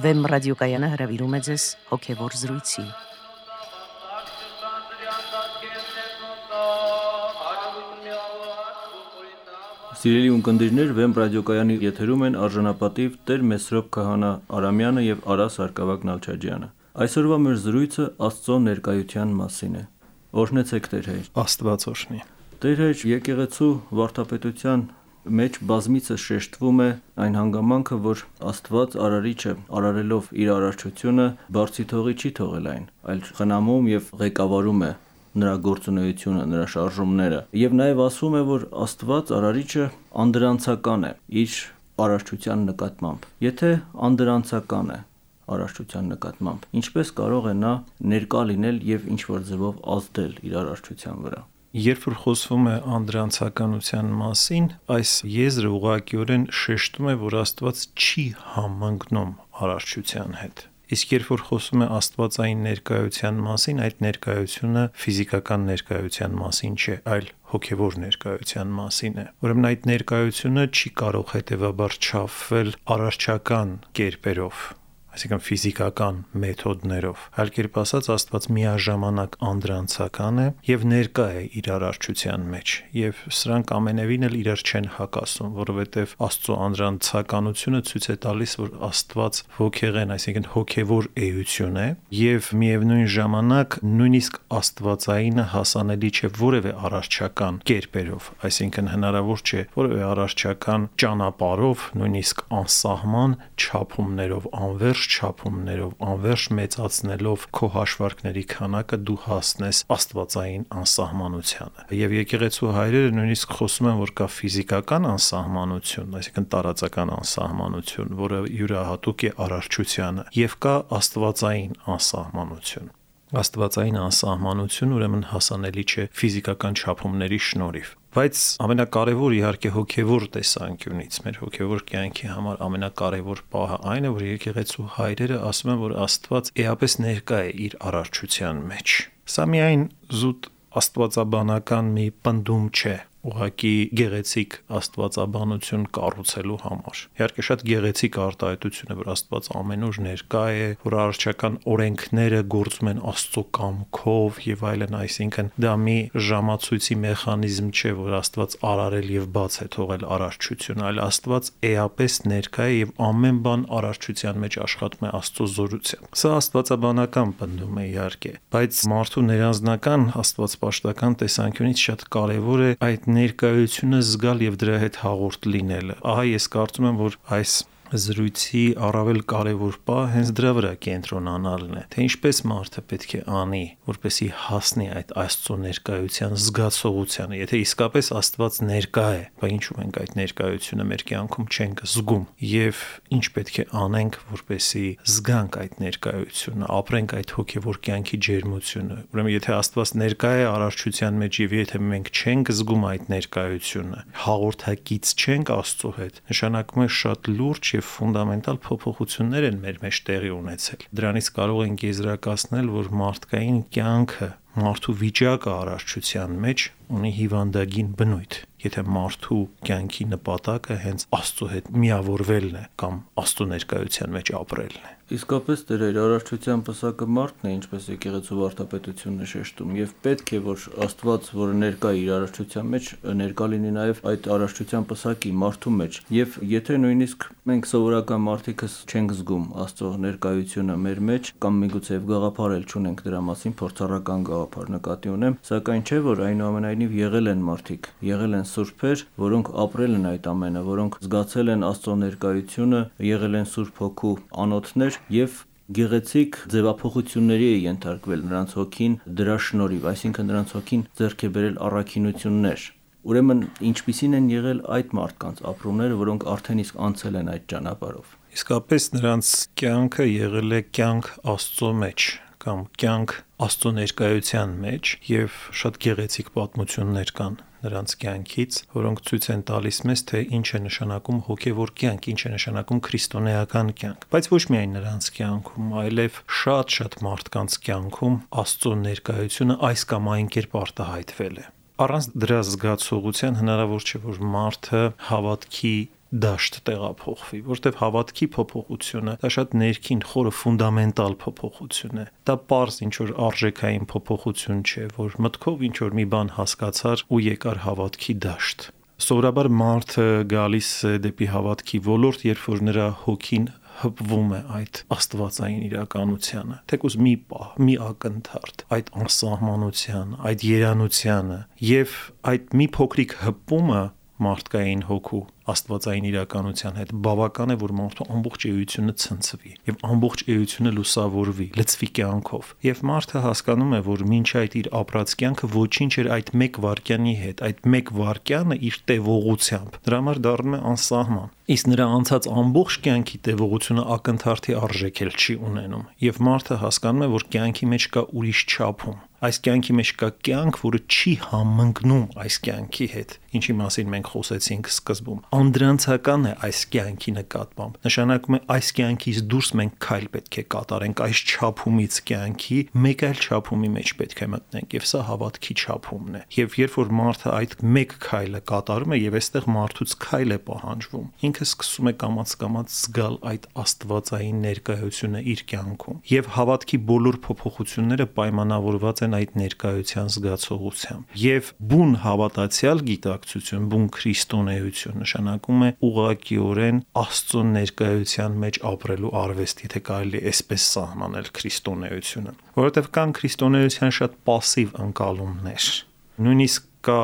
Վեմ ռադիոկայանը հրավիրում է ձեզ հոգևոր զրույցի։ Սիրելի ունկնդիրներ, Վեմ ռադիոկայանի եթերում են արժանապատիվ Տեր Մեսրոպ Քահանա Արամյանը եւ Արա Սարգսակ Նալչաջյանը։ Այսօրվա մեր զրույցը Աստծո ներկայության մասին է։ Օրհնեցեք Տեր Հայր։ Աստված օրհնի։ Տեր Հայր, եկեղեցու վարդապետության մեջ բազմիցս շեշտվում է այն հանգամանքը, որ Աստված արարիչը արարելով իր արարչությունը բարձի թողի չի թողել այն, այլ խնամում եւ ղեկավարում է նրա գործունեությունը, նրա շարժումները։ Եվ նաև ասվում է, որ Աստված արարիչը անդրանցական է իր արարչության նկատմամբ։ Եթե անդրանցական է արարչության նկատմամբ, ինչպես կարող է նա ներկա լինել եւ ինչ որ ձևով ազդել իր արարչության վրա։ Երբ որ խոսվում է անդրանցականության մասին, այս եզրը ուղղակիորեն շեշտում է, որ Աստված չի համընկնում արարչության հետ։ Իսկ երբ որ խոսում է աստվածային ներկայության մասին, այդ ներկայությունը ֆիզիկական ներկայության մասին չէ, այլ հոգևոր ներկայության մասին է։ Ուրեմն այդ ներկայությունը չի կարող հետևաբար չափվել արարչական կերպերով, այսինքն ֆիզիկական մեթոդներով։ Այլ կերպ ասած, Աստված միաժամանակ անդրանցական է եւ ներկա է իր արարչության մեջ, եւ սրանք ամենևին էլ իրար չեն հակասում, որովհետեւ Աստծո անդրանցականությունը ցույց է տալիս, որ Աստված ոգեղեն, այսինքն հոգևոր էություն է, եւ միևնույն ժամանակ նույնիսկ աստվածայինը հասանելի չէ որևէ արարչական կերպերով, այսինքն հնարավոր չէ որևէ արարչական ճանապարհով, նույնիսկ անսահման չափումներով, անվերջ չափումներով, անվերջ մեծացնելով քո հաշվարկների քանակը դու հասնես աստվածային անսահմանությանը։ Եվ եկեղեցու հայրերը նույնիսկ խոսում են, որ կա ֆիզիկական անսահմանություն, այսինքն տարածական անսահմանություն, որը յուրահատուկ է արարչությանը, եւ կա աստվածային անսահմանություն։ Աստվածային անսահմանություն ուրեմն հասանելի չէ ֆիզիկական չափումների շնորհիվ։ Բայց ամենակարևոր իհարկե հոգևոր տեսանկյունից, մեր հոգևոր կյանքի համար ամենակարևոր պահը այն է, որ եկեղեցու հայրերը ասում են, որ Աստված էապես ներկա է իր արարչության մեջ։ Սա միայն զուտ աստվածաբանական մի պնդում չէ, ուղղակի գեղեցիկ աստվածաբանություն կառուցելու համար։ Իհարկե շատ գեղեցիկ արտահայտություն է, որ Աստված ամենուր ներկա է, որ արարչական օրենքները գործում են Աստծո կամքով եւ այլն, այսինքն դա մի ժամացույցի մեխանիզմ չէ, որ Աստված արարել եւ բաց է թողել արարչությունը, այլ Աստված էապես ներկա է եւ ամեն բան արարչության մեջ աշխատում է Աստծո զորությամբ։ Սա աստվածաբանական պնդում է իհարկե, բայց մարդու ներանձնական աստվածպաշտական տեսանկյունից շատ կարեւոր է այդ ներկայությունը զգալ եւ դրա հետ հաղորդ լինելը։ Ահա ես կարծում եմ, որ այս զրույցի առավել կարևոր պահը հենց դրա վրա կենտրոնանալն է, թե ինչպես մարդը պետք է անի, որպեսզի հասնի այդ Աստծո ներկայության զգացողությանը։ Եթե իսկապես Աստված ներկա է, բայց ինչու մենք այդ ներկայությունը մեր կյանքում չենք զգում եւ ինչ պետք է անենք, որպեսզի զգանք այդ ներկայությունը, ապրենք այդ հոգեվոր կյանքի ջերմությունը։ Ուրեմն եթե Աստված ներկա է արարչության մեջ եւ եթե մենք չենք զգում այդ ներկայությունը, հաղորդակից չենք Աստծո հետ, նշանակում է շատ լուրջ եւ ֆունդամենտալ փոփոխություններ են մեր մեջ տեղի ունեցել։ Դրանից կարող ենք եզրակացնել, որ մարդկային կյանքը, մարդու վիճակը արարչության մեջ ունի հիվանդագին բնույթ։ Եթե մարդու կյանքի նպատակը հենց Աստծո հետ միավորվելն է կամ Աստծո ներկայության մեջ ապրելն է։ Իսկապես Տեր Հայր, արարչության պսակը մարդն է, ինչպես եկեղեցու վարդապետությունն է շեշտում, եւ պետք է որ Աստված, որը ներկա իր արարչության մեջ, ներկա լինի նաեւ այդ արարչության պսակի մարդու մեջ։ Եվ եթե նույնիսկ մենք սովորական մարդիկս չենք զգում Աստծո ներկայությունը մեր մեջ կամ միգուցե գաղափար էլ չունենք դրա մասին, փորձառական գաղափար նկատի ունեմ, սակայն չէ որ այնուամենայնիվ եղել են մարդիկ, եղել են սուրբեր, որոնք ապրել են այդ ամենը, որոնք զգացել են Աստծո ներկայությունը, եղել են Սուրբ Հոգու անոթներ եւ գեղեցիկ ձևափոխությունների է ենթարկվել նրանց հոգին դրա շնորհիվ, այսինքն նրանց հոգին ձեռք է բերել առաքինություններ։ Ուրեմն ինչպիսին են եղել այդ մարդկանց ապրումները, որոնք արդեն իսկ անցել են այդ ճանապարհով։ Իսկապես նրանց կյանքը եղել է կյանք Աստծո մեջ կամ կյանք Աստծո ներկայության մեջ եւ շատ գեղեցիկ պատմություններ կան նրանց կյանքից, որոնք ցույց են տալիս մեզ, թե ինչ է նշանակում հոգևոր կյանք, ինչ է նշանակում քրիստոնեական կյանք։ Բայց ոչ միայն նրանց կյանքում, այլև շատ մարդկանց կյանքում Աստծո ներկայությունը այս կամ այն կերպ արտահայտվել է։ Առանց դրա զգացողության հնարավոր չէ, որ մարդը հավատքի դաշտ տեղափոխվի, որտեղ հավատքի փոփոխությունը դա շատ ներքին խորը ֆունդամենտալ փոփոխություն է։ Դա պարզ ինչ որ արժեքային փոփոխություն չէ, որ մտքով ինչ որ մի բան հասկացար ու եկար հավատքի դաշտ։ Սովորաբար մարդը գալիս է դեպի հավատքի ոլորտ, երբ որ նրա հոգին հպվում է այդ աստվածային իրականությանը, թեկուզ մի պահ, մի ակնթարթ, այդ անսահմանության, այդ երանությանը, եւ այդ մի փոքրիկ հպումը մարդկային հոգու աստվածային իրականության հետ բավական է, որ մարդու ամբողջ էությունը ցնցվի եւ ամբողջ էությունը լուսավորվի, լցվի կյանքով։ Եվ մարդը հասկանում է, որ մինչ այդ իր ապրած կյանքը ոչինչ էր այդ մեկ վայրկյանի հետ, այդ մեկ վայրկյանը իր տևողությամբ դրա համար դառնում է անսահման։ Իսկ նրա անցած ամբողջ կյանքի տևողությունը ակնթարթի արժեք էլ չի ունենում։ Եվ մարդը հասկանում է, որ կյանքի մեջ կա ուրիշ չափում։ Այս կյանքի մեջ կա կյանք, որը չի համընկնում այս կյանքի հետ, ինչի մասին մենք խոսեցինք սկզբում։ Անդրանցական է այս կյանքի նկատմամբ։ Նշանակում է այս կյանքից դուրս մենք քայլ պետք է կատարենք, այս չափումից կյանքի մեկ այլ չափումի մեջ պետք է մտնենք, եւ սա հավատքի չափումն է։ Եվ երբ որ մարդը այդ մեկ քայլը կատարում է, եւ այստեղ մարդուց քայլ է պահանջվում, ինքը սկսում է կամաց զգալ այդ աստվածային ներկայությունը իր կյանքում։ Եվ հավատքի բոլոր փոփոխությունները պայմանավորված են այդ ներկայության զգացողությամբ։ Եվ բուն հավատացյալ գիտակցություն, բուն քրիստոնեություն նշանակում է ուղղակիորեն Աստծո ներկայության մեջ ապրելու արվեստ, եթե կարելի է այսպես սահմանել քրիստոնեությունը, որովհետև կան քրիստոնեության շատ пассив ընկալումներ։ Նույնիսկ կա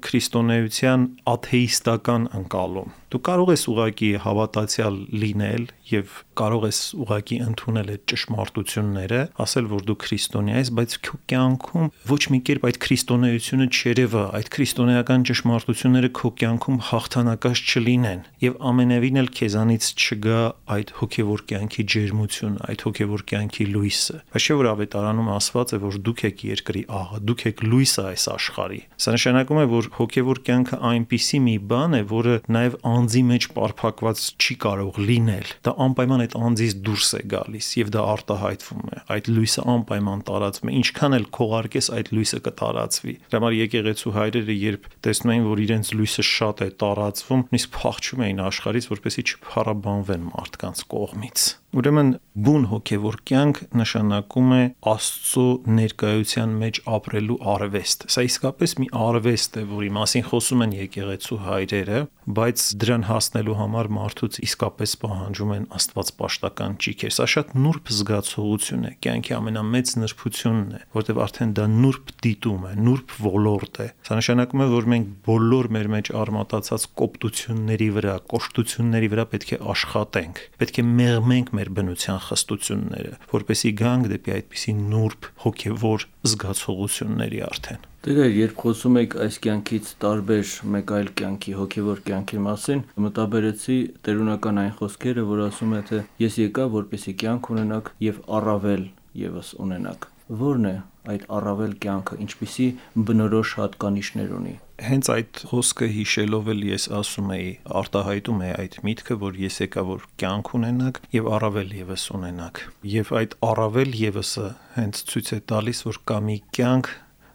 քրիստոնեության աթեիստական ընկալում։ Դու կարող ես ուղղակի հավատացյալ լինել եւ կարող ես ուղղակի ընդունել այդ ճշմարտությունները, ասել, որ դու քրիստոնյա ես, բայց քո կյանքում ոչ մի կերպ այդ քրիստոնեությունը չերևա, այդ քրիստոնեական ճշմարտությունները քո կյանքում հաղթանակած չլինեն եւ ամենևին էլ քեզանից չգա այդ հոգեվոր կյանքի ջերմությունը, այդ հոգեվոր կյանքի լույսը։ Բայց չէ որ ավետարանում ասված է, որ դուք եք երկրի աղը, դուք եք լույսը այս աշխարհի։ Սա նշանակում է, որ հոգեվոր կյանքը այնպիսի մի բան է, որը նաեւ անձի մեջ պարփակված չի կարող լինել։ Դա անպայման այդ անձից դուրս է գալիս եւ դա արտահայտվում է։ Այդ լույսը անպայման տարածվում է, ինչքան էլ քողարկես այդ լույսը կտարածվի։ Դրա համար եկեղեցու հայրերը երբ տեսնում էին, որ իրենց լույսը շատ է տարածվում, նույնիսկ փախչում էին աշխարհից, որպեսզի չփառաբանվեն մարդկանց կողմից։ Ուրեմն բուն հոգևոր կյանք նշանակում է Աստծո ներկայության մեջ ապրելու արվեստ։ Սա իսկապես մի արվեստ է, որի մասին խոսում են եկեղեցու հայրերը, բայց դրան հասնելու համար մարդուց իսկապես պահանջում են աստվածպաշտական ճիգեր։ Սա շատ նուրբ զգացողություն է, կյանքի ամենամեծ նրբությունն է, որտեղ արդեն դա նուրբ դիտում է, նուրբ ոլորտ է։ Սա նշանակում է, որ մենք բոլոր մեր մեջ արմատացած կոպտությունների վրա, կոշտությունների վրա պետք է աշխատենք, պետք է մեղմենք մեր բնության խստությունները, որպեսզի գանք դեպի այդպիսի նուրբ հոգևոր զգացողությունների արդեն։ Դե երբ խոսում եք այս կյանքից տարբեր մեկ այլ կյանքի, հոգևոր կյանքի մասին, մտաբերեցի տերունական այն խոսքերը, որ ասում է, թե ես եկա, որպեսզի կյանք ունենաք եւ առավել եւս ունենաք։ Որն է այդ առավել կյանքը, ինչպիսի բնորոշ հատկանիշներ ունի։ Հենց այդ խոսքը հիշելով էլ ես ասում էի, արտահայտում է այդ միտքը, որ ես եկա, որ կյանք ունենաք եւ առավել եւս ունենաք։ Եվ այդ առավել եւսը հենց ցույց է տալիս, որ կա մի կյանք,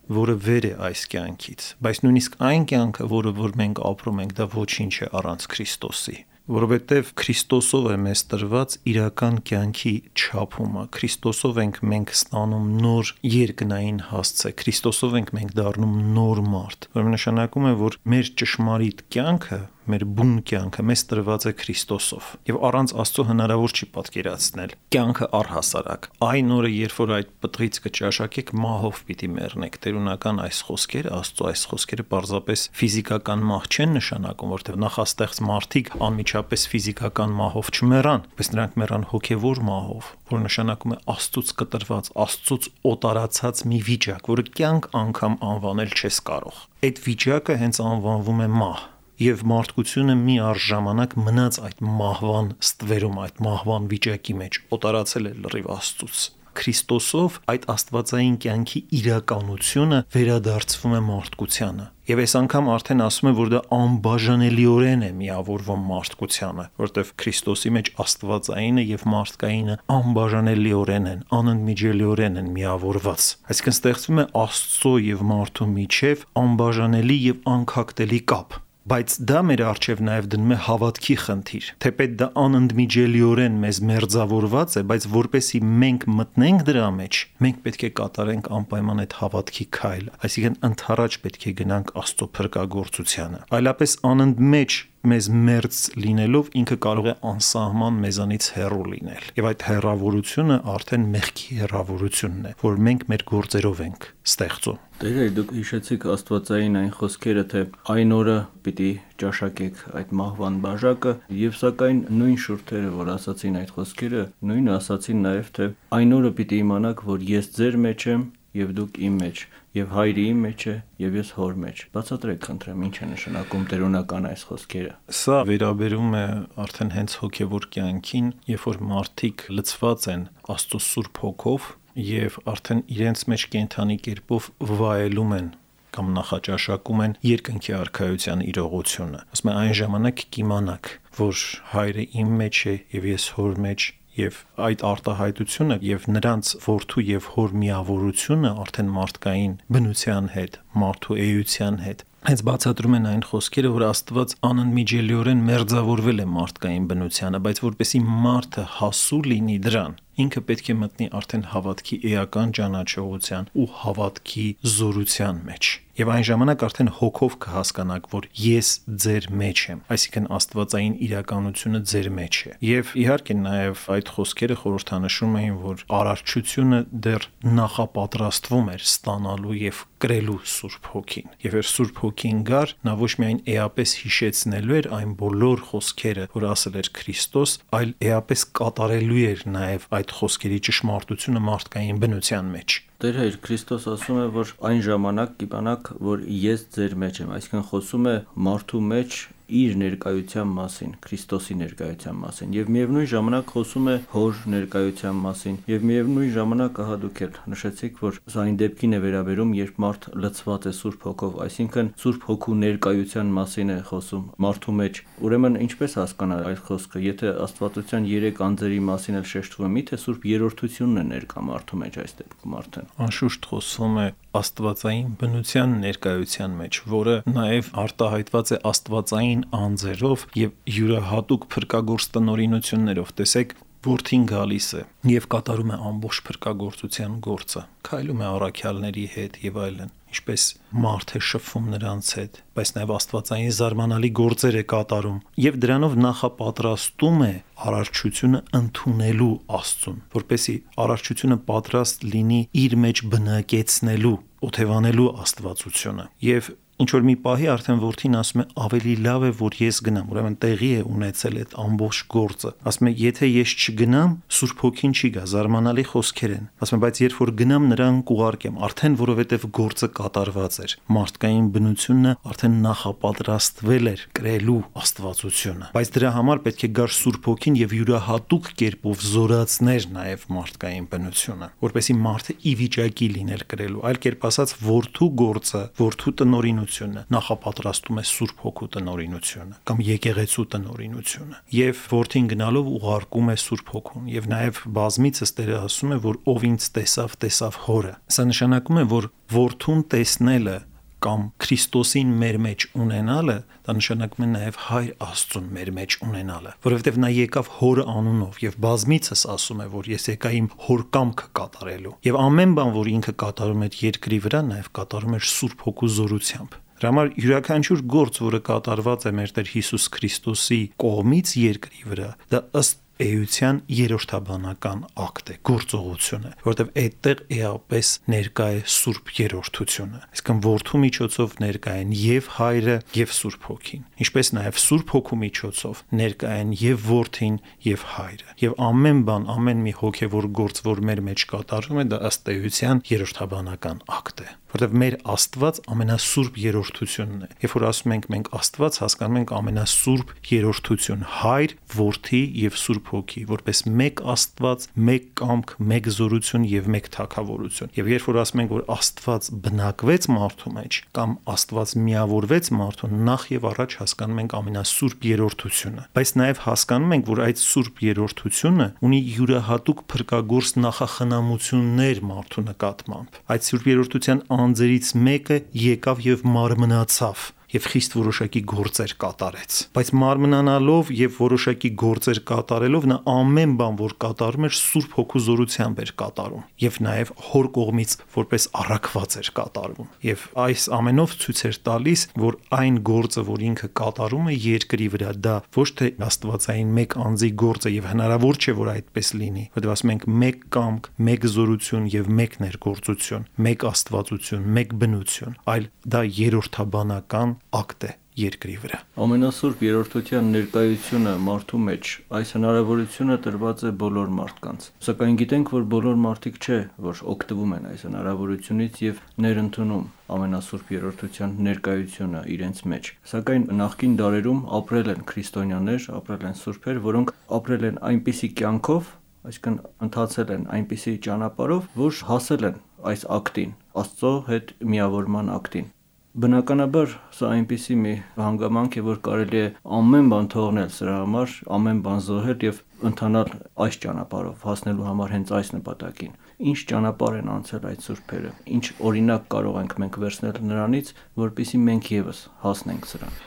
որը վեր է այս կյանքից, բայց նույնիսկ այն կյանքը, որ մենք ապրում ենք, դա ոչինչ է առանց Քրիստոսի, որովհետև Քրիստոսով է մեզ տրված իրական կյանքի չափումը, Քրիստոսով ենք մենք ստանում նոր երկնային հասցե, Քրիստոսով ենք մենք դառնում նոր մարդ, որը նշանակում է, որ մեր ճշմարիտ կյանքը, մեր բուն կյանքը մեզ տրված է Քրիստոսով եւ առանց Աստծո հնարավոր չի պատկերացնել կյանքը առհասարակ այն օրը երբ որ այդ պտղից կճաշակեք մահով պիտի մեռնեք տերունական այս խոսքերը Աստծո այս խոսքերը պարզապես ֆիզիկական մահ չեն նշանակում որտեղ նախաստեղծ մարդիկ անմիջապես ֆիզիկական մահով չմեռան բայց նրանք մեռան հոգեվոր մահով որ նշանակում է Աստծուց կտրված Աստծուց օտարացած մի վիճակ որը կյանք անգամ անվանել չես կարող այդ վիճակը հենց անվանվում է մահ Եվ մարդկությունը մի առժամանակ մնաց այդ մահվան ստվերում, այդ մահվան վիճակի մեջ, օտարացել է լրիվ Աստծուց։ Քրիստոսով այդ աստվածային կյանքի իրականությունը վերադարձվում է մարդկությանը։ Եվ այս անգամ արդեն ասում է, որ դա անբաժանելիորեն է միավորվում մարդկությանը, որտեղ Քրիստոսի մեջ աստվածայինը եւ մարդկայինը անբաժանելիորեն են, անընդմիջելիորեն են միավորված։ Այսինքն ստեղծվում է Աստծո եւ մարդու միջև անբաժանելի եւ անքակտելի կապ։ բայց դա մեր առջև նաև դնում է հավատքի խնդիր։ Թեպետ դա անընդմիջելիորեն մեզ մերձավորված է, բայց որպեսի մենք մտնենք դրա մեջ, մենք պետք է կատարենք անպայման այդ հավատքի քայլը, այսինքն ընդառաջ պետք է գնանք Աստծո փրկagorցությանը։ Այլապես անընդմեջ մեզ մերձ լինելով ինքը կարող է անսահման մեզանից հեռու լինել։ Եվ այդ հեռավորությունը արդեն մեղքի հեռավորությունն է, որ մենք մեր գործերով ենք ստեղծում։ Տեր, դուք հիշեցիք աստվածային այն խոսքերը, թե այն օրը պիտի ճաշակեք այդ մահվան բաժակը, եւ սակայն նույն շուրթերը, որ ասացին այդ խոսքերը, նույնը ասացին նաեւ, թե այն օրը պիտի իմանաք, որ ես ձեր մեջ եմ եւ դուք իմ մեջ, եւ հայրի իմ մեջ է եւ ես հոր մեջ։ Բացատրեք, խնդրեմ, ինչ է նշանակում տերոնական այս խոսքերը։ Սա վերաբերում է արդեն հենց հոգեվոր կյանքին, երբ որ մարդիկ լցված են Աստծո Սուրբ Հոգով եւ արդեն իրենց մեջ կենթանի կերպով վայելում են կամ նախաճաշակում են երկնքի արքայության իրողությունը։ Ասում են այն ժամանակ կիմանաք, որ հայրը իմ մեջ է եւ ես հոր մեջ, եւ այդ արտահայտությունը եւ նրանց որդու եւ հոր միավորությունը արդեն մարդկային բնության հետ, մարդու էության հետ հենց բացատրում են այն խոսքերը, որ Աստված անընդմիջելիորեն մերձավորվել է մարդկային բնությանը, բայց որպեսի մարդը հասու լինի դրան, ինքը պետք է մտնի արդեն հավատքի էական ճանաչողության ու հավատքի զորության մեջ։ Եվ այն ժամանակ արդեն հոգով կհասկանաք, որ ես ձեր մեջ եմ, այսինքն աստվածային իրականությունը ձեր մեջ է։ Եվ իհարկե նաև այդ խոսքերը խորհրդանշում էին, որ արարչությունը դեռ նախապատրաստվում էր ստանալու եւ կրելու Սուրբ Հոգին։ Եվ էր Սուրբ Հոգին գար, նա ոչ միայն էապես հիշեցնելու էր այն բոլոր խոսքերը, որ ասել էր Քրիստոս, այլ էապես կատարելու էր նաև այդ խոսքերի ճշմարտությունը մարդկային բնության մեջ։ Տեր Հայր, Քրիստոս ասում է, որ այն ժամանակ կիմանաք, որ ես ձեր մեջ եմ, այսինքն խոսում է մարդու մեջ իր ներկայության մասին, Քրիստոսի ներկայության մասին, եւ միևնույն ժամանակ խոսում է հոր ներկայության մասին, եւ միևնույն ժամանակ ահա դուք եք նշեցիք, որ սա այն դեպքին է վերաբերում, երբ մարդ լցված է Սուրբ Հոգով, այսինքն Սուրբ Հոգու ներկայության մասին է խոսում մարդու մեջ։ Ուրեմն ինչպես հասկանալ այդ խոսքը, եթե Աստվածության 3 անձերի մասին էլ շեշտվում է, միթե Սուրբ Երրորդությունն է ներկա մարդու մեջ այս դեպքում արդեն։ Անշուշտ խոսվում է աստվածային բնության ներկայության մեջ, որը նաև արտահայտված է աստվածային անձերով եւ յուրահատուկ փրկagorց տնօրինություններով։ Տեսեք, որդին գալիս է եւ կատարում է ամբողջ փրկagorցության գործը, քայլում է առաքյալների հետ եւ այլն, ինչպես մարդ է շփվում նրանց հետ, բայց նաև աստվածային զարմանալի գործեր է կատարում եւ դրանով նախապատրաստում է արարչությունը ընդունելու Աստծուն, որպեսզի արարչությունը պատրաստ լինի իր մեջ բնակեցնելու, օթևանելու աստվածությունը։ Եվ ինչ որ մի պահի արդեն որդին ասում է ավելի լավ է որ ես գնամ, ուրեմն տեղի է ունեցել այդ ամբողջ գործը։ Ասում է եթե ես չգնամ, Սուրբ Հոգին չի գա, զարմանալի խոսքեր են։ Ասում է բայց երբ որ գնամ նրան կուղարկեմ, արդեն որովհետև գործը կատարված էր։ Մարդկային բնությունը արդեն նախապատրաստվել էր կրելու աստվածությունը։ Բայց դրա համար պետք է գար Սուրբ Հոգին եւ յուրահատուկ կերպով զորացներ նաև մարդկային բնությունը, որպեսզի մարդը ի վիճակի լիներ կրելու։ Այլ կերպ ասած, որդու գործը, որդու տնօրինությունը նախապատրաստում է Սուրբ Հոգու տնօրինությունը կամ եկեղեցու տնօրինությունը եւ որդին գնալով ուղարկում է Սուրբ Հոգուն եւ նաեւ բազմիցս Տերը ասում է որ ով ինձ տեսավ հորը։ Սա նշանակում է որ որդուն տեսնելը կամ Քրիստոսին մեր մեջ ունենալը, դա նշանակում է նաև Հայր Աստծուն մեր մեջ ունենալը, որովհետև նա եկավ հոր անունով եւ բազմիցս ասում է, որ ես եկա իմ հոր կամքը կատարելու։ Եվ ամեն բան, որ ինքը կատարում էր երկրի վրա, նաև կատարում էր Սուրբ Հոգու զորությամբ։ Դրա համար յուրաքանչյուր գործ, որը կատարված է մեր Տեր Հիսուս Քրիստոսի կողմից երկրի վրա, դա ըստ էության երրորդաբանական ակտ է, գործողություն է, որտեղ այդտեղ էապես ներկա է Սուրբ Երրորդությունը։ Այսինքն որդու միջոցով ներկա են եւ Հայրը եւ Սուրբ Հոգին, ինչպես նաեւ Սուրբ Հոգու միջոցով ներկա են եւ որդին եւ Հայրը։ Եվ ամեն բան, ամեն մի հոգեվոր գործ, որ մեր մեջ կատարվում է, դա ըստ էության երրորդաբանական ակտ է, որտեղ մեր Աստված ամենասուրբ երրորդությունն է։ Երբ որ ասում ենք մենք Աստված, հասկանում ենք ամենասուրբ երրորդություն, Հայր, Որդի եւ Սուրբ Հոգի, որպես մեկ Աստված, մեկ կամք, մեկ զորություն եւ մեկ թագավորություն։ Եվ երբ որ ասում ենք որ Աստված բնակվեց մարդու մեջ կամ Աստված միավորվեց մարդուն, նախ եւ առաջ հասկանում ենք ամենասուրբ երրորդությունը, բայց նաեւ հասկանում ենք որ այդ սուրբ երրորդությունը ունի յուրահատուկ փրկagorց նախախնամություններ մարդու նկատմամբ։ Այդ սուրբ երրորդության անձերից մեկը եկավ եւ մարմնացավ եւ խիստ որոշակի գործեր կատարեց, բայց մարմնանալով եւ որոշակի գործեր կատարելով նա ամեն բան, որ կատարում էր, Սուրբ Հոգու զորությամբ էր կատարում եւ նաեւ Հոր կողմից որպես առաքված էր կատարում։ Եվ այս ամենով ցույց էր տալիս, որ այն գործը, որ ինքը կատարում է երկրի վրա, դա ոչ թե աստվածային մեկ անձի գործ է եւ հնարավոր չէ, որ այդպես լինի, որտեղ ասում ենք մեկ կամք, մեկ զորություն եւ մեկ ներգործություն, մեկ աստվածություն, մեկ բնություն, այլ դա երրորդաբանական ակտ է երկրի վրա։ Ամենասուրբ երրորդության ներկայությունը մարդու մեջ, այս հնարավորությունը տրված է բոլոր մարդկանց։ Սակայն գիտենք, որ բոլոր մարդիկ չէ, որ օգտվում են այս հնարավորությունից եւ ներընդունում ամենասուրբ երրորդության ներկայությունը իրենց մեջ։ Սակայն նախկին դարերում ապրել են քրիստոնյաներ, ապրել են սուրբեր, որոնք ապրել են այնպիսի կյանքով, այսինքն ընթացել են այնպիսի ճանապարհով, որ հասել են այս ակտին, Աստծո հետ միավորման ակտին։ Բնականաբար սա այնպիսի մի հանգամանք է, որ կարելի է ամեն բան թողնել սրա համար, ամեն բան զոհել եւ ընթանալ այս ճանապարհով, հասնելու համար հենց այս նպատակին։ Ինչ ճանապարհ են անցել այդ սուրբերը, ինչ օրինակ կարող ենք մենք վերցնել նրանից, որպեսզի մենք եւս հասնենք սրան։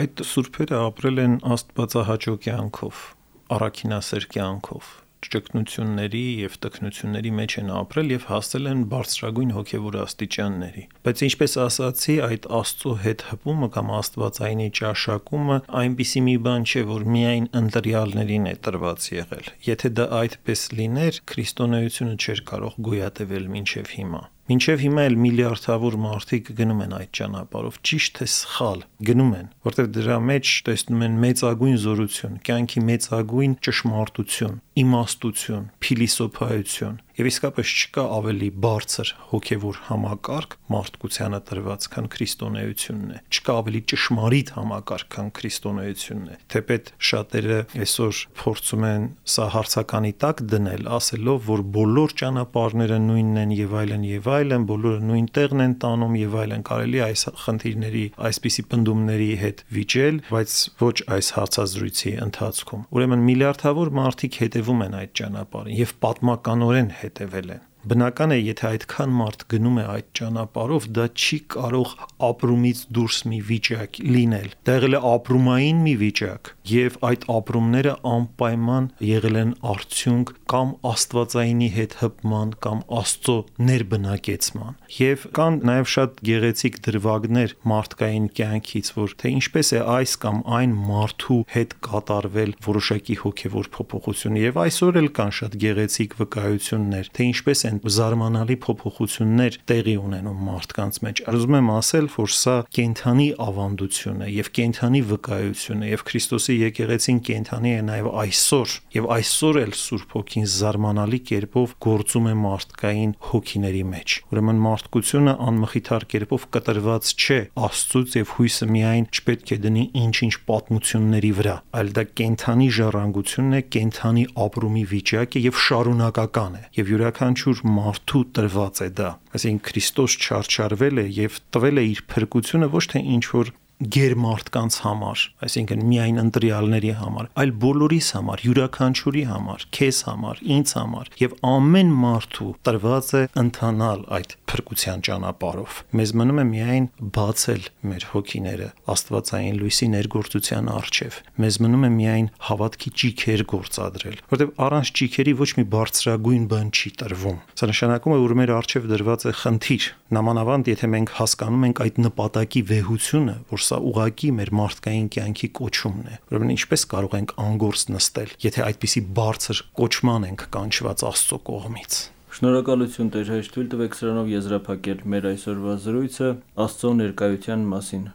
Այդ սուրբերը ապրել են աստվածահաճո կյանքով, առաքինասեր կյանքով, ճգնությունների եւ տքնությունների մեջ են ապրել եւ հասել են բարձրագույն հոգեվոր աստիճանների։ Բայց ինչպես ասացի, այդ Աստծո հետ հպումը կամ աստվածայինի ճաշակումը այնպիսի մի բան չէ, որ միայն ընտրյալներին է տրված եղել։ Եթե դա այդպես լիներ, քրիստոնեությունը չէր կարող գոյատևել մինչև հիմա։ Մինչև հիմա էլ միլիարդավոր մարդիկ գնում են այդ ճանապարհով, ճիշտ թե սխալ գնում են, որտեղ դրա մեջ տեսնում են մեծագույն զորություն, կյանքի մեծագույն ճշմարտություն, իմաստություն, փիլիսոփայություն, եւ իսկապես չկա ավելի բարձր հոգեվոր համակարգ մարդկությանը տրված, քան քրիստոնեությունն է։ Չկա ավելի ճշմարիտ համակարգ, քան քրիստոնեությունն է։ Թեպետ շատերը այսօր փորձում են սա հարցականի տակ դնել, ասելով, որ բոլոր ճանապարհները նույնն են եւ այլն, բոլորը նույն տեղն են տանում եւ այլն, կարելի այս խնդիրների, այսպիսի պնդումների հետ վիճել, բայց ոչ այս հարցազրույցի ընթացքում։ Ուրեմն միլիարդավոր մարդիկ հետևում են այդ ճանապարհին եւ պատմականորեն հետևել են։ Բնական է, եթե այդքան մարդ գնում է այդ ճանապարհով, դա չի կարող ապրումից դուրս մի վիճակ լինել։ Դա եղել է ապրումային մի վիճակ, եւ այդ ապրումները անպայման եղել են արդյունք կամ աստվածայինի հետ հպման, կամ Աստծո ներբնակեցման։ Եվ կան նաեւ շատ գեղեցիկ դրվագներ մարդկային կյանքից, որ թե ինչպես է այս կամ այն մարդու հետ կատարվել որոշակի հոգեվոր փոփոխություն, եւ այսօր էլ կան շատ գեղեցիկ վկայություններ, թե ինչպես զարմանալի փոփոխություններ տեղի ունենում մարդկանց մեջ։ Ուզում եմ ասել, որ սա կենդանի ավանդություն է եւ կենդանի վկայություն է, եւ Քրիստոսի եկեղեցին կենդանի է նաեւ այսօր, եւ այսօր էլ Սուրբ Հոգին զարմանալի կերպով գործում է մարդկային հոգիների մեջ։ Ուրեմն մարդկությունը անմխիթար կերպով կտրված չէ Աստծուց, եւ հույսը միայն չպետք է դնի ինչ-ինչ պատմությունների վրա, այլ դա կենդանի ժառանգությունն է, կենդանի ապրումի վիճակ է եւ շարունակական է, եւ յուրաքանչյուր մարդու տրված է դա։ Այսինքն Քրիստոս չարչարվել է եւ տվել է իր փրկությունը ոչ թե ինչ որ գերմարդկանց համար, այսինքն միայն ընտրյալների համար, այլ բոլորիս համար, յուրաքանչյուրի համար, քեզ համար, ինձ համար, եւ ամեն մարդու տրված է ընթանալ այդ փրկության ճանապարհով։ Մեզ մնում է միայն բացել մեր հոգիները աստվածային լույսի ներգործության առջև։ Մեզ մնում է միայն հավատքի ճիգեր գործադրել, որտեղ առանց ճիգերի ոչ մի բարձրագույն բան չի տրվում։ Սա նշանակում է, որ մեր առջև դրված է խնդիր, նամանավանդ եթե մենք հասկանում ենք այդ նպատակի վեհությունը, որ սա ուղղակի մեր մարդկային կյանքի կոչումն է։ Ուրեմն ինչպես կարող ենք անգործ նստել, եթե այդպիսի բարձր կոչման ենք կանչված Աստծո կողմից։ Շնորհակալություն Տեր հայր, թույլ տվեք սրանով եզրափակել մեր այսօրվա զրույցը Աստծո ներկայության մասին։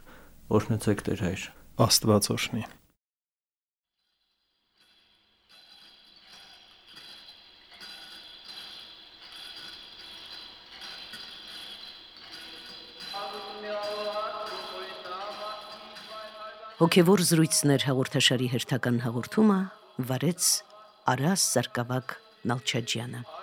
Օրհնեցեք Տեր հայր։ Աստված օրհնի։ Հոգևոր զրույցներ հաղորդաշարի հերթական հաղորդումը վարեց Արաս Սարգսակ Նալչաջյանը։